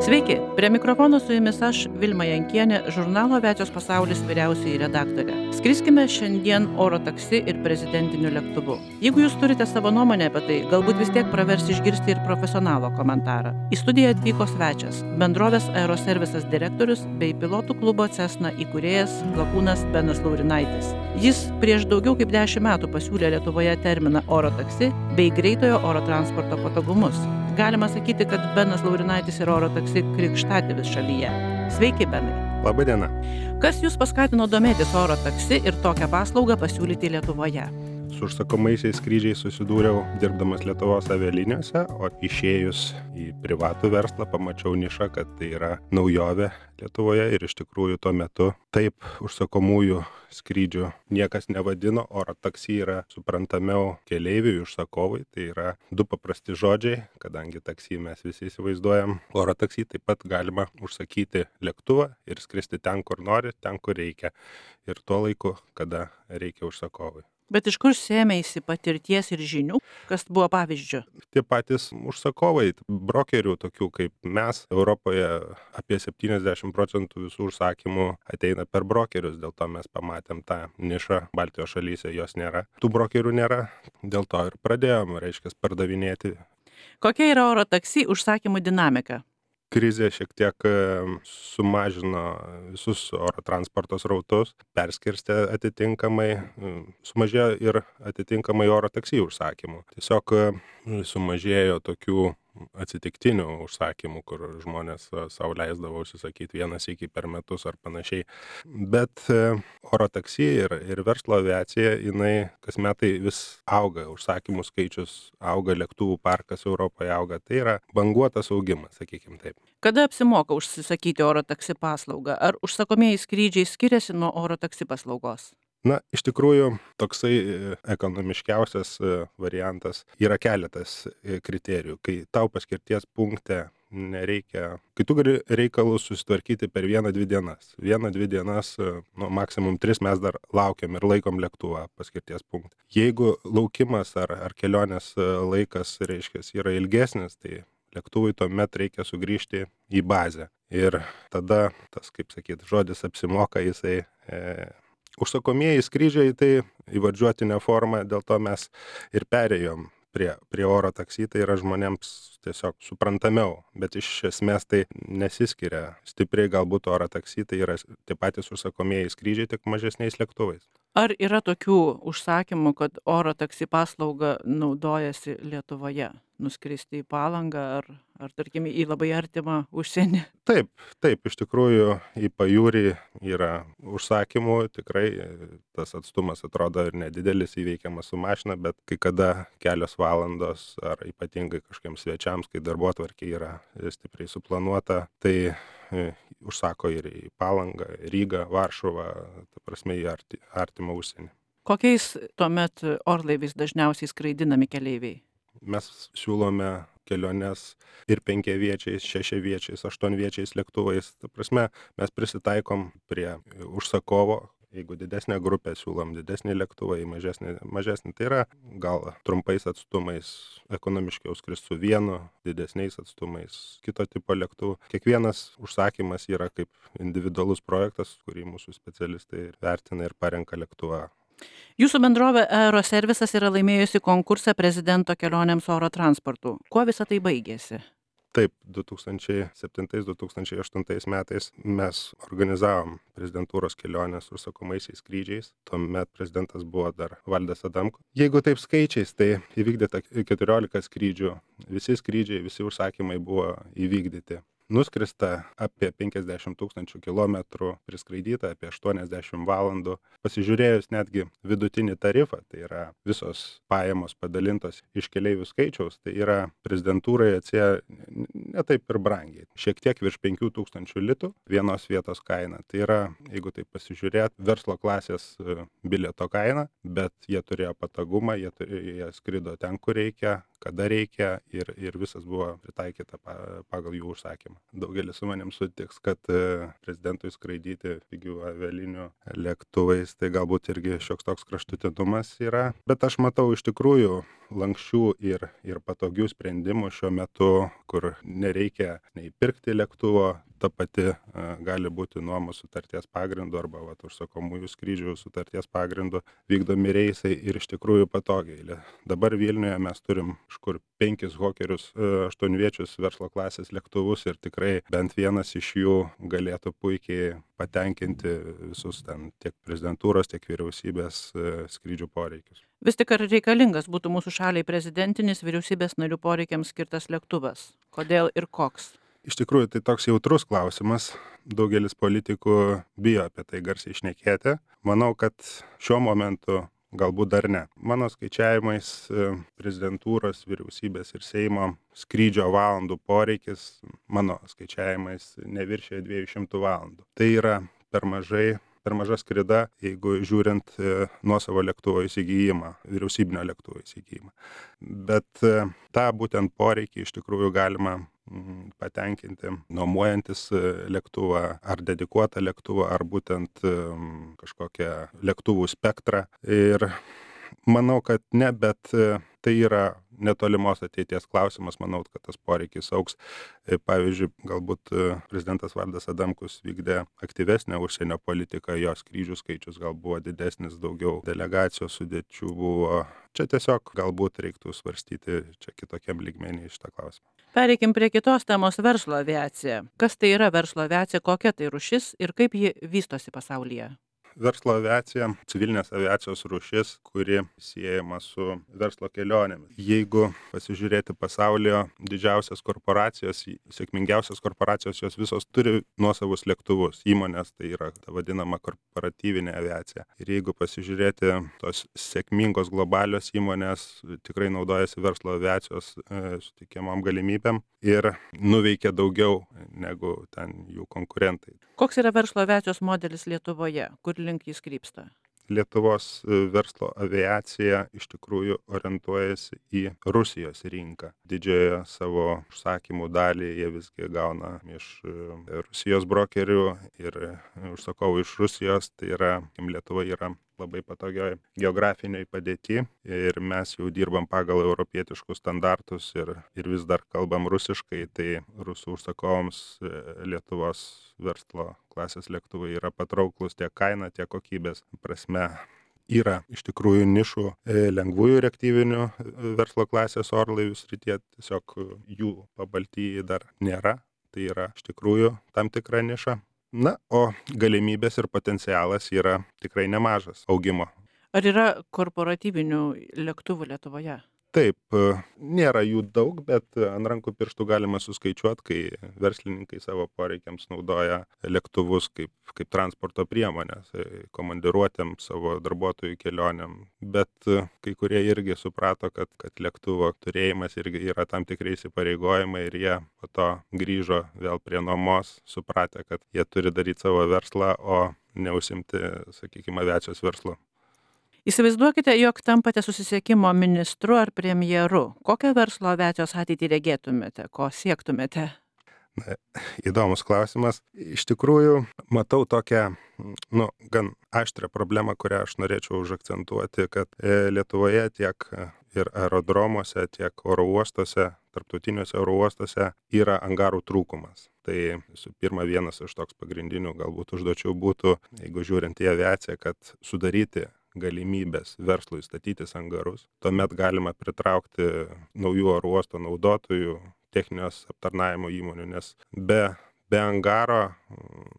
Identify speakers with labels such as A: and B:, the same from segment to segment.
A: Sveiki, prie mikrofono su jumis aš, Vilma Jankienė, žurnalo Aviacijos pasaulis vyriausioji redaktorė. Skriskime šiandien oro taksi ir prezidentiniu lėktuvu. Jeigu jūs turite savo nuomonę apie tai, galbūt vis tiek pravers išgirsti ir profesionalo komentarą. Į studiją atvyko svečias, bendrovės Aeroservisas direktorius bei pilotų klubo Cessna įkūrėjas lakūnas Benas Laurinaitis. Jis prieš daugiau kaip 10 metų pasiūlė Lietuvoje terminą oro taksi bei greitojo oro transporto patogumus. Galima sakyti, kad Benas Laurinaitis yra oro taksi krikštatėvis šalyje. Sveiki, Benai.
B: Labą dieną.
A: Kas jūs paskatino domėtis oro taksi ir tokią paslaugą pasiūlyti Lietuvoje?
B: Su užsakomaisiais skrydžiais susidūriau dirbdamas Lietuvos avialinijose, o išėjus į privatų verslą pamačiau nišą, kad tai yra naujovė Lietuvoje ir iš tikrųjų tuo metu taip užsakomųjų skrydžių niekas nevadino, oro taksi yra suprantamiau keleiviui, užsakovui, tai yra du paprasti žodžiai, kadangi taksi mes visi įsivaizduojam, oro taksi taip pat galima užsakyti lėktuvą ir skristi ten, kur nori, ten, kur reikia ir tuo laiku, kada reikia užsakovui.
A: Bet iš kur sėmėsi patirties ir žinių, kas buvo pavyzdžiu?
B: Tie patys užsakovai, brokerių tokių kaip mes, Europoje apie 70% visų užsakymų ateina per brokerius, dėl to mes pamatėm tą nišą, Baltijos šalyse jos nėra. Tų brokerių nėra, dėl to ir pradėjom, pardavinėti.
A: Kokia yra oro taksi užsakymų dinamika?
B: Krizė šiek tiek sumažino visus oro transporto srautus, perskirstė atitinkamai, sumažėjo ir atitinkamai oro taksi užsakymų. Tiesiog sumažėjo tokių atsitiktinių užsakymų, kur žmonės sau leisdavo užsisakyti vieną sykį per metus ar panašiai. Bet oro taksi ir verslo aviacija, jinai kas metai vis auga, užsakymų skaičius auga, lėktuvų parkas Europoje auga, tai yra banguotas augimas, sakykime taip.
A: Kada apsimoka užsisakyti oro taksi paslaugą? Ar užsakomieji skrydžiai skiriasi nuo oro taksi paslaugos?
B: Na, iš tikrųjų, toksai ekonomiškiausias variantas yra keletas kriterijų. Kai tau paskirties punkte nereikia, kai tu gali reikalus susitvarkyti per 1-2 dienas. 1-2 dienas, maksimum 3 mes dar laukiam ir laikom lėktuvą paskirties punkte. Jeigu laukimas ar kelionės laikas, reiškia, yra ilgesnis, tai lėktuvui tuomet reikia sugrįžti į bazę. Ir tada tas, kaip sakyt, žodis apsimoka, jisai užsakomieji skrydžiai tai įvardžiuotinė forma, dėl to mes ir perėjom prie oro taksi, tai yra žmonėms tiesiog suprantamiau, bet iš esmės tai nesiskiria stipriai, galbūt oro taksi, tai yra tie patys užsakomieji skrydžiai, tik mažesniais lėktuvais.
A: Ar yra tokių užsakymų, kad oro taksi paslauga naudojasi Lietuvoje? Nuskristi į Palangą ar tarkim, į labai artimą užsienį?
B: Taip, iš tikrųjų į pajūrį yra užsakymų, tikrai tas atstumas atrodo ir nedidelis, įveikiamas su mašina, bet kai kada kelios valandos ar ypatingai kažkiems svečiams, kai darbotvarkė yra stipriai suplanuota, tai užsako ir į Palangą, Rygą, Varšuvą, ta prasme į artimą užsienį.
A: Kokiais tuomet orlaiviais dažniausiai skraidinami keleiviai?
B: Mes siūlome keliones ir 5-viečiais, 6-viečiais, 8-viečiais lėktuvais. Ta prasme, mes prisitaikom prie užsakovo. Jeigu didesnė grupė, siūlom didesnį lėktuvą, į mažesnį. Tai yra gal trumpais atstumais ekonomiškiau skrist su vienu, didesniais atstumais kito tipo lėktuvu. Kiekvienas užsakymas yra kaip individualus projektas, kurį mūsų specialistai vertina ir parenka lėktuvą.
A: Jūsų bendrovė Aeroservisas yra laimėjusi konkursą prezidento kelionėms oro transportu. Kuo visą tai baigėsi?
B: Taip, 2007-2008 metais mes organizavom prezidentūros kelionės užsakomaisiais skrydžiais. Tuomet prezidentas buvo dar Valdas Adamkus. Jeigu taip skaičiais, tai įvykdyta 14 skrydžių. Visi skrydžiai, visi užsakymai buvo įvykdyti. Nuskrista apie 50 000 kilometrų, priskraidyta apie 80 valandų. Pasižiūrėjus netgi vidutinį tarifą, tai yra visos pajamos padalintos iš keleivių skaičiaus, tai yra prezidentūrai atsėjo ne taip ir brangiai. Šiek tiek virš 5000 litų vienos vietos kaina. Tai yra, jeigu taip pasižiūrėt, verslo klasės bilieto kaina, bet jie turėjo patogumą, jie skrido ten, kur reikia, kada reikia ir visas buvo pritaikyta pagal jų užsakymą. Daugelis su manim sutiks, kad prezidentui skraidyti pigių avialinių lėktuvais, tai galbūt irgi šioks toks kraštutinumas yra. Bet aš matau iš tikrųjų lanksčių ir patogių sprendimų šiuo metu, kur nereikia nei pirkti lėktuvo, ta pati gali būti nuomos sutarties pagrindu arba užsakomųjų skrydžių sutarties pagrindu vykdomi reisai ir iš tikrųjų patogiai. Dabar Vilniuje mes turim kažkur 5 hokerius 8-viečius verslo klasės lėktuvus ir tikrai bent vienas iš jų galėtų puikiai patenkinti visus ten tiek prezidentūros, tiek vyriausybės skrydžių poreikius.
A: Vis tik ar reikalingas būtų mūsų šaliai prezidentinis vyriausybės narių poreikiams skirtas lėktuvas? Kodėl ir koks?
B: Iš tikrųjų, tai toks jautrus klausimas. Daugelis politikų bijo apie tai garsiai šnekėti. Manau, kad šiuo momentu galbūt dar ne. Mano skaičiavimais prezidentūros, vyriausybės ir Seimo skrydžio valandų poreikis, mano skaičiavimais, neviršė 200 valandų. Tai yra per maža skrida, jeigu žiūrint nuosavo lėktuvo įsigijimą, vyriausybinio lėktuvo įsigijimą. Bet tą būtent poreikį iš tikrųjų galima patenkinti nuomojantis lėktuvą ar dedikuotą lėktuvą ar būtent kažkokią lėktuvų spektrą. Ir manau, kad ne, bet tai yra netolimos ateities klausimas. Manau, kad tas poreikis augs. Pavyzdžiui, galbūt prezidentas Valdas Adamkus vykdė aktyvesnę užsienio politiką, jo skrydžių skaičius gal buvo didesnis, daugiau delegacijos sudėčių buvo. Čia tiesiog galbūt reiktų svarstyti čia kitokiam lygmenį šitą klausimą.
A: Pereikim prie kitos temos - verslo aviacija. Kas tai yra verslo aviacija, kokia tai rūšis ir kaip ji vystosi pasaulyje?
B: Verslo aviacija - civilinės aviacijos rūšis, kuri siejama su verslo kelionėmis. Jeigu pasižiūrėti pasaulyje, didžiausias korporacijos, sėkmingiausios korporacijos, jos visos turi nuosavus lėktuvus. Įmonės tai yra ta vadinama korporatyvinė aviacija. Ir jeigu pasižiūrėti, tos sėkmingos globalios įmonės tikrai naudojasi verslo aviacijos suteikiamom galimybėm ir nuveikia daugiau negu ten jų konkurentai.
A: Koks yra verslo aviacijos modelis Lietuvoje? Kur link jis krypsta?
B: Lietuvos verslo aviacija iš tikrųjų orientuojasi į Rusijos rinką. Didžiąją savo užsakymų dalį jie visgi gauna iš Rusijos brokerių ir užsakovų iš Rusijos. Tai yra, Lietuva yra labai patogioj geografiniai padėti ir mes jau dirbam pagal europietiškus standartus ir vis dar kalbam rusiškai, tai rusų užsakovams Lietuvos verslo klasės lėktuvai yra patrauklus tiek kaina, tiek kokybės prasme. Yra iš tikrųjų nišų lengvųjų reaktyvinių verslo klasės orlaivių srityje, tiesiog jų Pabaltijyje dar nėra, tai yra iš tikrųjų tam tikra niša. Na, o galimybės ir potencialas yra tikrai nemažas augimo.
A: Ar yra korporatyvinių lėktuvų Lietuvoje?
B: Taip, nėra jų daug, bet ant rankų pirštų galima suskaičiuoti, kai verslininkai savo poreikiams naudoja lėktuvus kaip transporto priemonės, komandiruotėm, savo darbuotojų kelionėm. Bet kai kurie irgi suprato, kad lėktuvo turėjimas irgi yra tam tikrai įsipareigojimai ir jie po to grįžo vėl prie nuomos, supratę, kad jie turi daryti savo verslą, o neužsimti, sakykime, aviacijos verslu.
A: Įsivaizduokite, jog tampate susisiekimo ministru ar premjeru. Kokią verslo aviacijos ateitį regėtumėte, ko siektumėte?
B: Na, įdomus klausimas. Iš tikrųjų, matau tokią, gan aštrią problemą, kurią aš norėčiau užakcentuoti, kad Lietuvoje tiek ir aerodromuose, tiek oro uostuose, tarptautiniuose oro uostuose yra angarų trūkumas. Tai visų pirma, vienas iš toks pagrindinių galbūt užduočių būtų, jeigu žiūrint į aviaciją, kad sudaryti galimybės verslui statytis angarus. Tuomet galima pritraukti naujų oro uosto naudotojų, techninės aptarnavimo įmonių, nes be angaro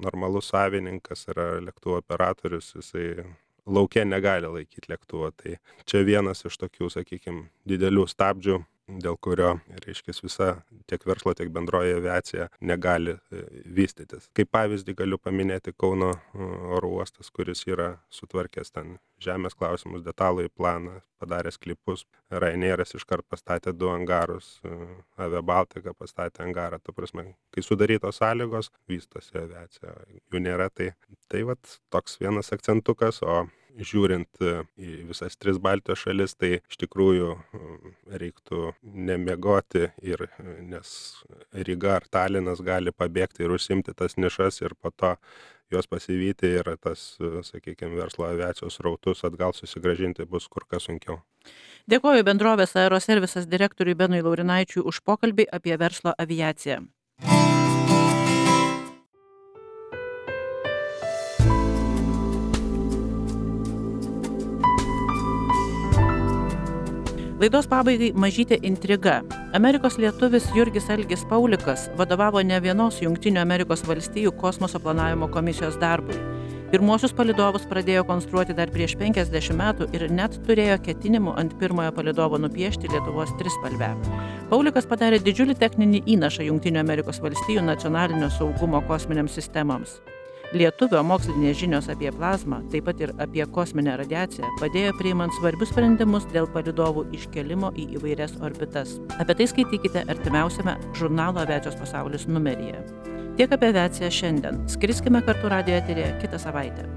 B: normalus savininkas yra lėktuvo operatorius, jisai lauke negali laikyti lėktuvo. Tai čia vienas iš tokių, sakykime, didelių stabdžių, dėl kurio, reiškia, visa tiek verslo, tiek bendroji aviacija negali vystytis. Kaip pavyzdį galiu paminėti Kauno oro uostas, kuris yra sutvarkęs ten žemės klausimus, detalųjį planą, padaręs klipus. Ryanairas iškart pastatė 2 angarus, Avia Baltica pastatė angarą. Ta prasme, kai sudarytos sąlygos, vystosi aviacija. Jų nėra, tai vat toks vienas akcentukas, o žiūrint į visas 3 Baltijos šalis, tai iš tikrųjų reiktų nemiegoti, nes Ryga ar Talinas gali pabėgti ir užsimti tas nišas ir po to juos pasivyti ir tas, sakykime, verslo aviacijos srautus atgal susigrąžinti bus kur kas sunkiau.
A: Dėkoju bendrovės Aeroservisas direktoriui Benui Laurinaičiui už pokalbį apie verslo aviaciją. Laidos pabaigai mažytė intriga. Amerikos lietuvis Jurgis Algis Paulikas vadovavo ne vienos Jungtinių Amerikos valstijų kosmoso planavimo komisijos darbui. Pirmuosius palydovus pradėjo konstruoti dar prieš 50 metų ir net turėjo ketinimų ant pirmojo palydovo nupiešti Lietuvos trispalvę. Paulikas padarė didžiulį techninį įnašą Jungtinių Amerikos valstijų nacionalinio saugumo kosminėms sistemoms. Lietuvio mokslinės žinios apie plazmą, taip pat ir apie kosminę radiaciją, padėjo priimant svarbius sprendimus dėl palydovų iškelimo į įvairias orbitas. Apie tai skaitykite artimiausiame žurnalo Aviacijos pasaulis numeryje. Tiek apie aviaciją šiandien. Skriskime kartu radijo eteryje kitą savaitę.